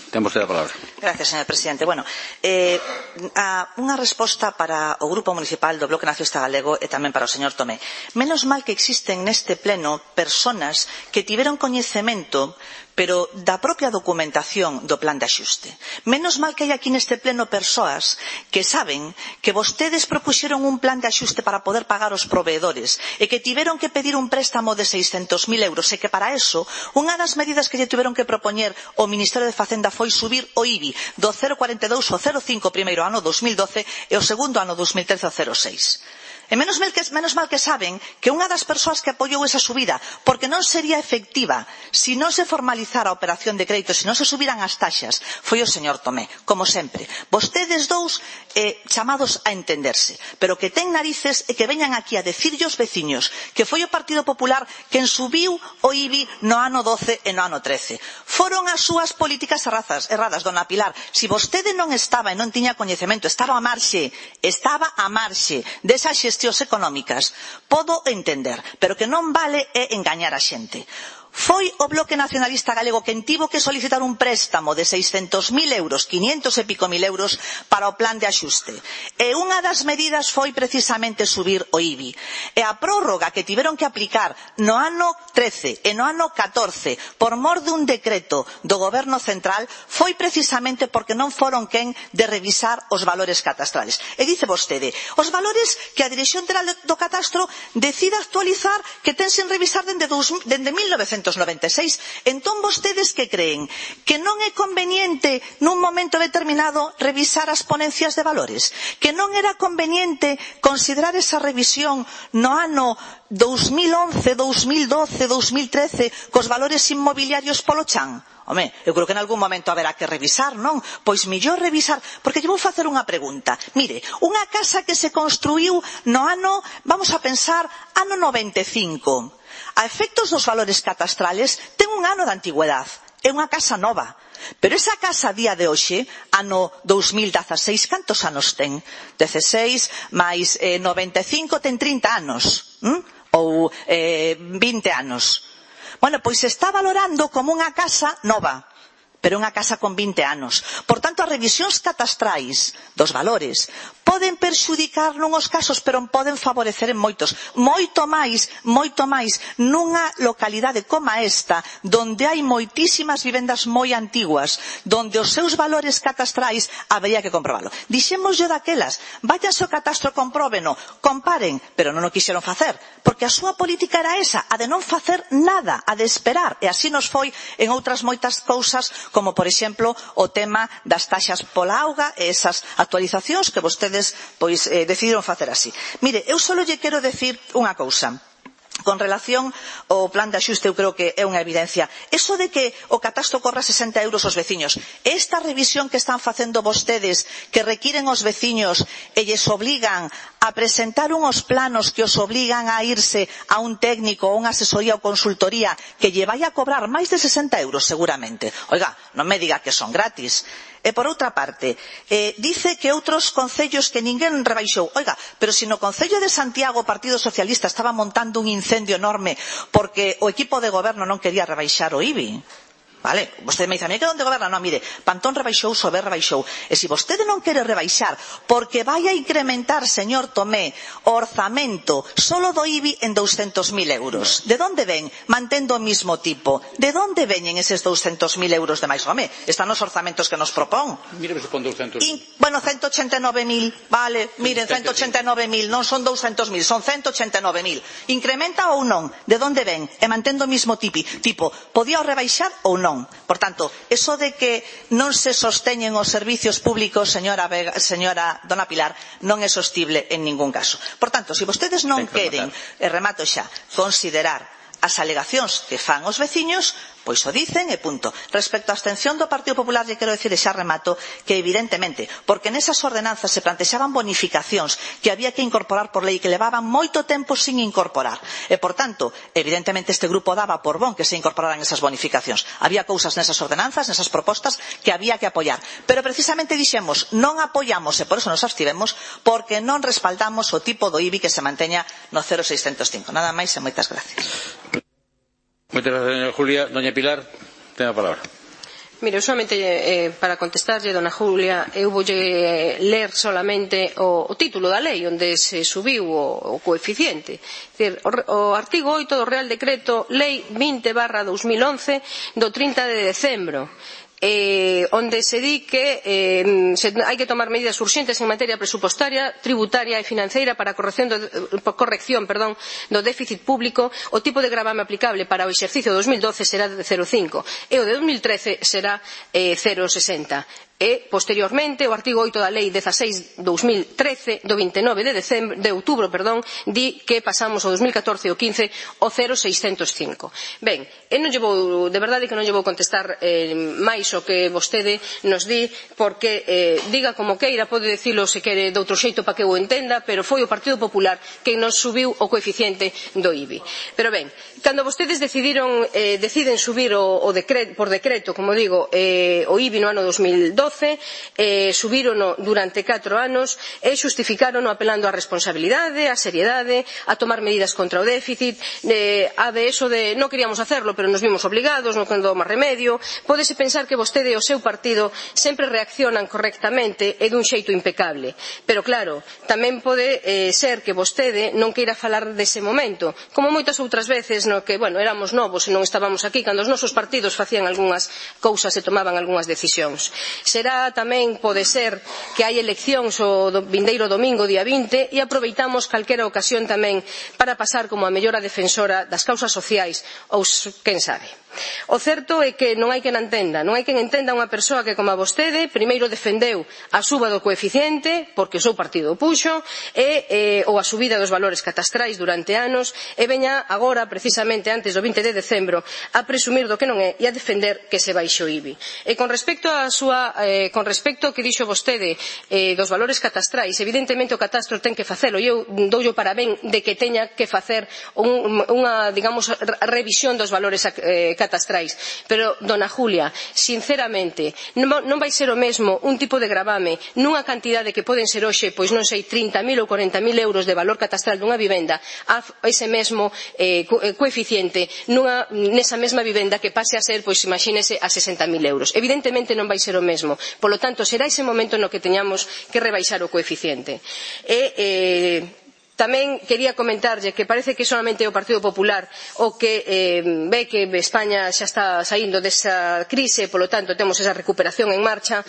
temos a palabra. Gracias, señor presidente. Bueno, unha resposta para o Grupo Municipal do Bloque Nacionalista Galego e tamén para o señor Tomé. Menos mal que existen neste pleno persoas que tiveron coñecemento pero da propia documentación do plan de axuste. Menos mal que hai aquí neste pleno persoas que saben que vostedes propuxeron un plan de axuste para poder pagar os proveedores e que tiveron que pedir un préstamo de 600.000 euros e que para eso unha das medidas que lle tiveron que propoñer o Ministerio de Facenda foi subir o IBI do 0,42 ao 0,5 o primeiro ano 2012 e o segundo ano 2013 ao 0,6. E menos mal que saben que unha das persoas que apoiou esa subida, porque non sería efectiva se non se formalizara a operación de crédito, se non se subiran as taxas, foi o señor Tomé, como sempre. Vostedes dous chamados a entenderse, pero que ten narices e que veñan aquí a decirlle aos veciños que foi o Partido Popular quen subiu o IBI no ano 12 e no ano 13. Foron as súas políticas erradas, dona Pilar. Se vostede non estaba e non tiña coñecemento, estaba a marxe desa xestións económicas, podo entender, pero que non vale é engañar a xente. Foi o Bloque Nacionalista Galego quen tivo que solicitar un préstamo de 600.000 euros, 500 e pico mil euros para o plan de axuste. E unha das medidas foi precisamente subir o IBI. E a prórroga que tiveron que aplicar no ano 13 e no ano 14 por mor dun decreto do Goberno Central foi precisamente porque non foron quen de revisar os valores catastrales. E dice vostede, os valores que a Dirección Xeral do Catastro decida actualizar que ten sen revisar dende 1996. Entón vostedes que creen? Que non é conveniente nun momento determinado revisar as ponencias de valores? Que non era conveniente considerar esa revisión no ano 2011, 2012, 2013 cos valores inmobiliarios polo chan? Home, eu creo que en algún momento haberá que revisar, non? Pois mellor revisar, porque lle vou facer unha pregunta. Mire, unha casa que se construiu no ano, vamos a pensar, ano 95. A efectos dos valores catastrales ten un ano de antigüedade, é unha casa nova. Pero esa casa a día de hoxe, ano 2016, cantos anos ten? 16 máis 95 ten 30 anos, ou 20 anos. Bueno, pois se está valorando como unha casa nova. pero unha casa con 20 anos. Por tanto, as revisións catastrais dos valores poden perxudicar nunhos casos, pero poden favorecer en moitos. Moito máis nunha localidade como esta, donde hai moitísimas vivendas moi antiguas, donde os seus valores catastrais habería que comprobalo. Dixémoslle daquelas, váyanse ao catastro, compróbeno, comparen, pero non o quixeron facer, porque a súa política era esa, a de non facer nada, a de esperar, e así nos foi en outras moitas cousas, como por exemplo o tema das taxas pola auga e esas actualizacións que vostedes decidiron facer así. Mire, eu só lle quero decir unha cousa. Con relación ao plan de axuste, eu creo que é unha evidencia. Eso de que o catastro corra 60 euros aos veciños, esta revisión que están facendo vostedes, que requiren os veciños e lles obligan a presentar unhos planos que os obligan a irse a un técnico, a unha asesoría ou consultoría que lle vai a cobrar máis de 60 euros seguramente. Oiga, non me diga que son gratis. E por outra parte, dice que outros concellos que ninguén rebaixou. Oiga, pero se no Concello de Santiago o Partido Socialista estaba montando un incendio enorme porque o equipo de goberno non quería rebaixar o IBI. Vale, vostede me dice, a mí que onde goberna? Non, mire, Pantón rebaixou, Sober rebaixou. E se vostede non quere rebaixar porque vai a incrementar, señor Tomé, o orzamento solo do IBI en 200.000 euros. De onde ven? Mantendo o mismo tipo. De onde veñen eses 200.000 euros de máis? Home, están os orzamentos que nos propón. Mire, se pon 200. Bueno, 189.000, vale, miren, 189.000, non son 200.000, son 189.000. Incrementa ou non? De onde ven? E mantendo o mismo tipo, podía o rebaixar ou non? Por tanto, eso de que non se sosteñen os servicios públicos, señora Dona Pilar, non é sostible en ningún caso. Por tanto, se vostedes non queren, e remato xa, considerar as alegacións que fan os veciños, pois o dicen e punto. Respecto á abstención do Partido Popular, lle quero decir, e xa remato, que evidentemente, porque nesas ordenanzas se plantexaban bonificacións que había que incorporar por lei, que levaban moito tempo sin incorporar. E, por tanto, evidentemente este grupo daba por bon que se incorporaran esas bonificacións. Había cousas nesas ordenanzas, nesas propostas, que había que apoiar. Pero precisamente dixemos, non apoiamos, e por eso nos abstivemos, porque non respaldamos o tipo do IBI que se manteña no 0,605. Nada máis e moitas gracias. Moitas gracias, señora Julia. Doña Pilar, ten a palabra. Mire, solamente para contestarlle, dona Julia, eu voulle ler solamente o título da lei onde se subiu o coeficiente. O artigo 8 do Real Decreto Lei 20/2011 do 30 de decembro, onde se di que hai que tomar medidas urxentes en materia presupostaria, tributaria e financeira para a corrección do déficit público. O tipo de gravame aplicable para o exercicio 2012 será de 0,5 e o de 2013 será 0,60. E, posteriormente, o artigo 8 da Lei 16/2013 do 29 de outubro, di que pasamos ao 2014 e o 15 o 0,605. Ben, de verdade que non lle vou contestar máis o que vostede nos di, porque diga como queira, pode dicilo se quere de outro xeito para que eu entenda, pero foi o Partido Popular que nos subiu o coeficiente do IBI. Pero ben, cando vostedes deciden subir por decreto, como digo, o IBI no ano 2012, subírono durante 4 anos e xustificárono apelando á responsabilidade, á seriedade, a tomar medidas contra o déficit, a de eso de non queríamos hacerlo, pero nos vimos obligados, non quedou máis remedio. Pódese pensar que vostede e o seu partido sempre reaccionan correctamente e dun xeito impecable. Pero claro, tamén pode ser que vostede non queira falar dese momento, como moitas outras veces no que, éramos novos e non estábamos aquí cando os nosos partidos facían algunhas cousas e tomaban algunhas decisións. Será tamén, pode ser, que hai eleccións o vindeiro domingo, día 20, e aproveitamos calquera ocasión tamén para pasar como a mellora defensora das causas sociais, ou quen sabe. O certo é que non hai quen entenda unha persoa que, como a vostede, primeiro defendeu a suba do coeficiente, porque o seu partido o puxo, ou a subida dos valores catastrais durante anos, e veña agora, precisamente antes do 20 de decembro, a presumir do que non é e a defender que se baixe o IBI. E con respecto ao que dixo vostede dos valores catastrais, evidentemente o catastro ten que facelo, e eu doulle o parabén de que teña que facer unha, digamos, revisión dos valores catastrais. Pero, dona Julia, sinceramente, non vai ser o mesmo un tipo de gravame nunha cantidade que poden ser hoxe, pois non sei, 30.000 ou 40.000 euros de valor catastral dunha vivenda a ese mesmo coeficiente nesa mesma vivenda que pase a ser, pois imagínese, a 60.000 euros. Evidentemente non vai ser o mesmo. Polo tanto, será ese momento no que teñamos que rebaixar o coeficiente. Tamén quería comentarlle que parece que solamente o Partido Popular o que ve que España xa está saindo desa crise, polo tanto temos esa recuperación en marcha.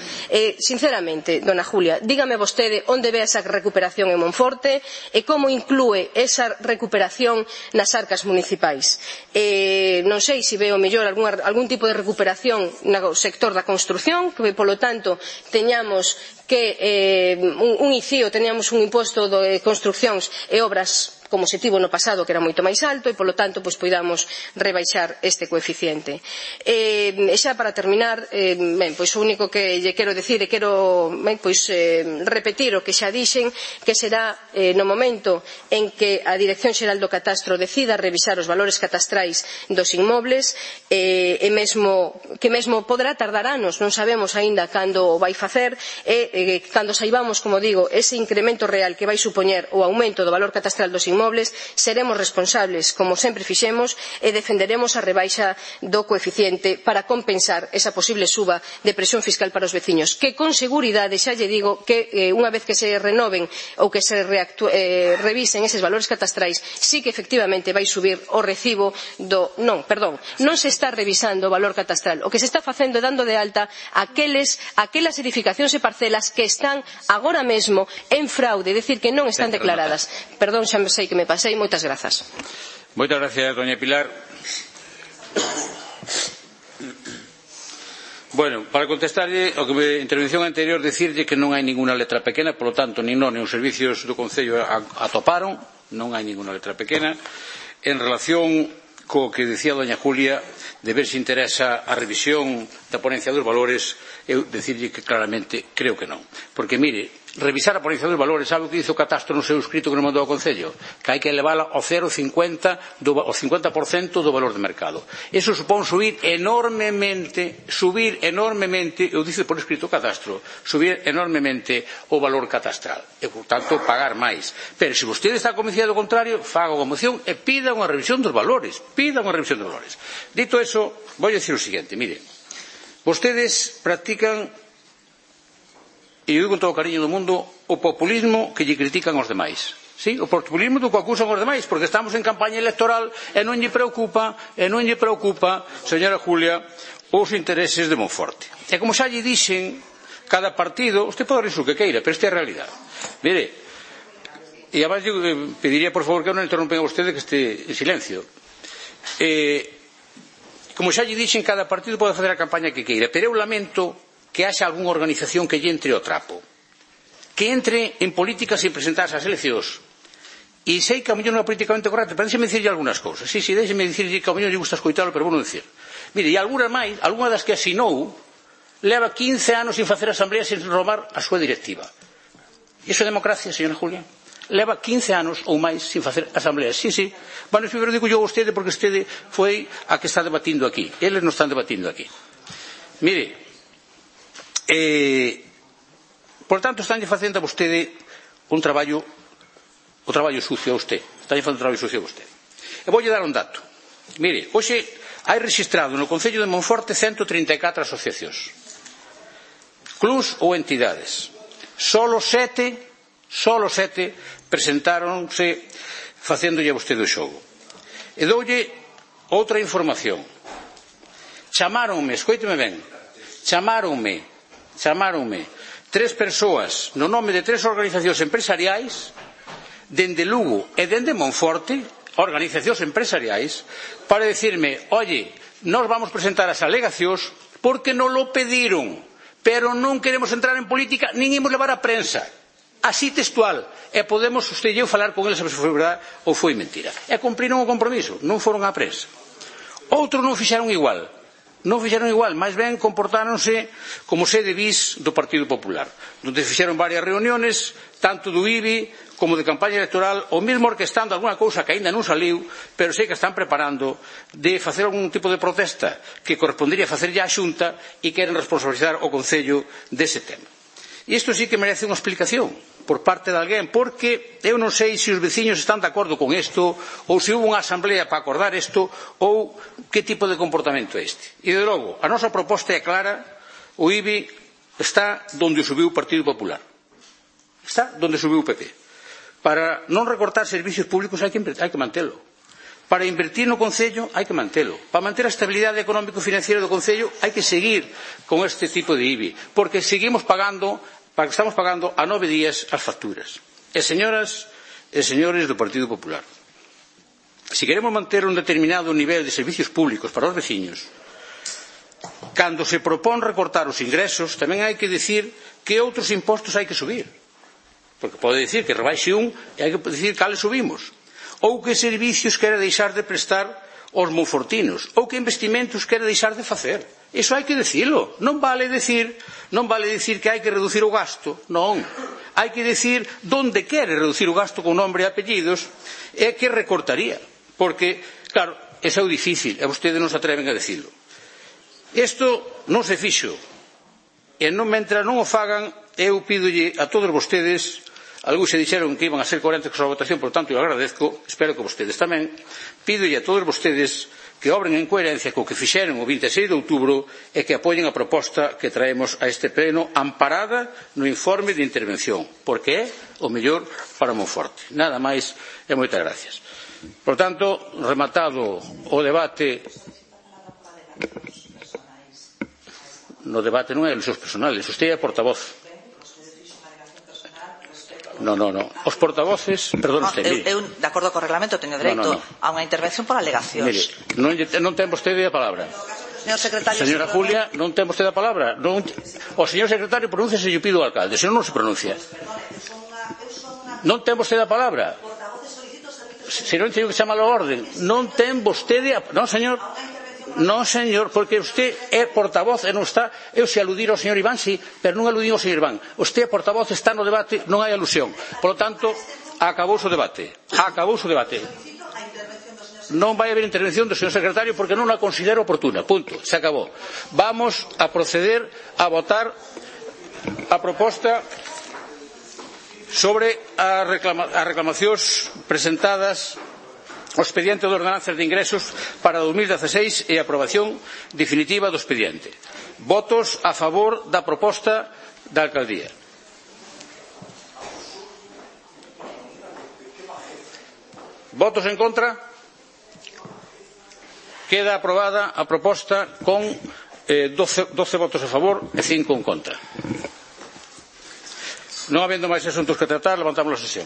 Sinceramente, dona Julia, dígame vostede onde ve esa recuperación en Monforte e como inclúe esa recuperación nas arcas municipais. Non sei se ve o mellor algún tipo de recuperación no sector da construción, que polo tanto teñamos que un ICIO, teníamos un imposto de construcións e obras como se tivo no pasado, que era moito máis alto, e polo tanto poidamos rebaixar este coeficiente. E xa para terminar, pois o único que lle quero dicir e quero repetir o que xa dixen, que será no momento en que a Dirección Xeral do Catastro decida revisar os valores catastrais dos inmobles, que mesmo poderá tardar anos, non sabemos aínda cando o vai facer, e cando saibamos, como digo, ese incremento real que vai supoñer o aumento do valor catastral dos inmobles, seremos responsables, como sempre fixemos, e defenderemos a rebaixa do coeficiente para compensar esa posible suba de presión fiscal para os veciños, que con seguridade, xa lle digo, que unha vez que se renoven ou que se revisen eses valores catastrais, sí que efectivamente vai subir o recibo do... Non se está revisando o valor catastral, o que se está facendo é dando de alta aquelas edificacións e parcelas que están agora mesmo en fraude, é dicir, que non están declaradas. Perdón, xa sei que me pasei. Moitas grazas. Moitas gracias, doña Pilar. Bueno, para contestarlle ao que me intervención anterior, decirlle que non hai ninguna letra pequena, polo tanto, nin non, nin os servicios do Concello atoparon, non hai ninguna letra pequena. En relación co que decía doña Julia, de ver se interesa a revisión da ponencia dos valores, eu decirlle que claramente creo que non. Porque, mire, revisar a ponencia dos valores, sabe o que dice o catastro no seu escrito que nos mandou ao Concello? Que hai que elevala ao 0,50% do valor de mercado. Eso supón subir enormemente, eu dice por escrito o catastro, subir enormemente o valor catastral. E, por tanto, pagar máis. Pero, se vostede está convencido do contrario, faga unha moción e pida unha revisión dos valores. Dito eso, vou dicir o seguinte, mire, vostedes practican, e eu digo con todo o cariño do mundo, o populismo que lle critican aos demais. Sí, o populismo do que acusan aos demais, porque estamos en campaña electoral e non lle preocupa, señora Julia, os intereses de Monforte. E como xa lle dixen, cada partido, usted pode rir o que queira, pero esta é a realidade. Mire, e además eu pediría por favor que non interrompen a vostede, que este en silencio. Como xa lle dixen, cada partido pode facer a campaña que queira, pero eu lamento que haxa algunha organización que lle entre o trapo, que entre en política sin presentarse ás eleccións. E sei que a mellor non é políticamente correcto, pero déxeme dicirlle algunhas cousas. Sí, déxeme dicirlle que a mellor lle gusta escoitalo, pero vou non dicir. Mire, e algunha das que asinou leva 15 anos sin facer asamblea, sin renovar a súa directiva. Iso é democracia, señora Julia? Leva 15 anos ou máis sin facer asamblea. Sí. Bueno, primeiro digo yo a vostede porque vostede foi a que está debatindo aquí. Eles non están debatindo aquí. Mire, por tanto, estánlle facendo a vostede o traballo sucio a usted. E voulle dar un dato. Mire, hoxe hai registrado no Concello de Monforte 134 asociacións, clubs ou entidades. Solo 7 presentáronse facéndolle a vostede o xogo. E doulle outra información. Chamáronme, escoíteme ben, chamáronme 3 persoas no nome de 3 organizacións empresariais dende Lugo e dende Monforte, organizacións empresariais, para decirme, oye, nós vamos presentar as alegacións porque nos lo pediron, pero non queremos entrar en política nin imos levar a prensa. Así textual. E podemos usted e eu falar con eles se foi verdade ou foi mentira. E cumpriron o compromiso, non foron á prensa. Outros non fixeron igual. Non fixeron igual, máis ben comportáronse como sede bis do Partido Popular, onde fixeron varias reuniones, tanto do IBI como de campaña electoral, ou mesmo orquestando alguna cousa que aínda non saliu, pero sei que están preparando de facer algún tipo de protesta que correspondería facer ya a Xunta e queren responsabilizar o Concello dese tema. E isto sí que merece unha explicación por parte de alguén, porque eu non sei se os veciños están de acordo con isto, ou se hubo unha asamblea para acordar isto, ou que tipo de comportamento é este. E, de logo, a nosa proposta é clara, o IBI está donde o subiu o Partido Popular. Está donde subiu o PP. Para non recortar servicios públicos hai que mantelo. Para invertir no Concello hai que mantelo. Para manter a estabilidade económico-financiera do Concello hai que seguir con este tipo de IBI, porque seguimos pagando, para que estamos pagando a 9 días as facturas. E señoras e señores do Partido Popular, se queremos manter un determinado nivel de servicios públicos para os veciños, cando se propón recortar os ingresos, tamén hai que dicir que outros impostos hai que subir. Porque pode dicir que rebaixe un e hai que dicir cales subimos. Ou que servicios quere deixar de prestar aos monfortinos. Ou que investimentos quere deixar de facer. Iso hai que dicilo. Non vale dicir que hai que reducir o gasto. Non. Hai que dicir donde quere reducir o gasto con nombre e apellidos e que recortaría. Porque, claro, é o difícil e vostedes non se atreven a dicilo. Isto non se fixo. E mentre non o fagan, eu pídolle a todos vostedes, algúns se dixeron que iban a ser coherentes con a votación, por tanto, eu agradezco, espero que vostedes tamén, pídolle a todos vostedes que obren en coherencia co que fixeron o 26 de outubro e que apoien a proposta que traemos a este pleno amparada no informe de intervención, porque é o mellor para Monforte. Nada máis e moitas gracias. Por tanto, rematado o debate, no debate non é elusións personales, usted é portavoz. No. Os portavoces, perdón, usted, mire. Eu, de acordo co reglamento, teño dereito a unha intervención por alegacións. Mire, non ten vostede a palabra. Señor secretario, señora Julia, non ten vostede a palabra. O señor secretario pronúnciase e eu pido ao alcalde, senón non se pronuncia. Non ten vostede a palabra. Se non teño que chamar a orden. Non ten vostede a... Non, señor. Non, señor, porque usted é portavoz e non está. Eu se aludir ao señor Iván, sí, pero non aludín ao señor Iván. Usted é portavoz, está no debate, non hai alusión. Por lo tanto, acabouse o debate. Acabouse o debate. Non vai haber intervención do señor secretario porque non a considero oportuna. Punto. Se acabou. Vamos a proceder a votar a proposta sobre as reclamacións presentadas o expediente de ordenanzas de ingresos para 2016 e a aprobación definitiva do expediente. Votos a favor da proposta da alcaldía. Votos en contra. Queda aprobada a proposta con 12 votos a favor e 5 en contra. Non habendo máis asuntos que tratar, levantamos a sesión.